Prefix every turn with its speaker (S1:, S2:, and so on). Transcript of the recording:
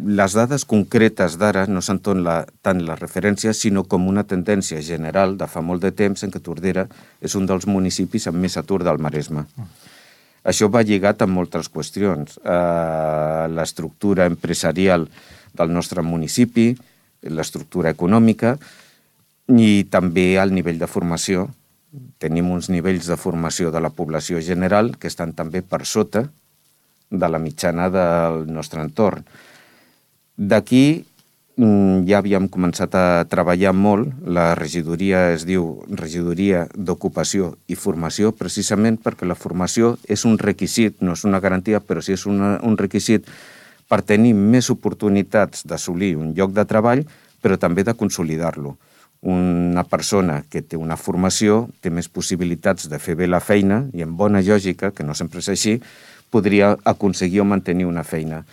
S1: les dades concretes d'ara no són tant les referències, sinó com una tendència general de fa molt de temps en què Tordera és un dels municipis amb més atur del Maresme. Això va lligat amb moltes qüestions. L'estructura empresarial del nostre municipi, l'estructura econòmica i també el nivell de formació. Tenim uns nivells de formació de la població general que estan també per sota de la mitjana del nostre entorn. D'aquí ja havíem començat a treballar molt. La regidoria es diu Regidoria d'Ocupació i Formació, precisament perquè la formació és un requisit, no és una garantia, però sí és un requisit per tenir més oportunitats d'assolir un lloc de treball, però també de consolidar-lo. Una persona que té una formació té més possibilitats de fer bé la feina i, en bona lògica, que no sempre és així, podria aconseguir o mantenir una feina.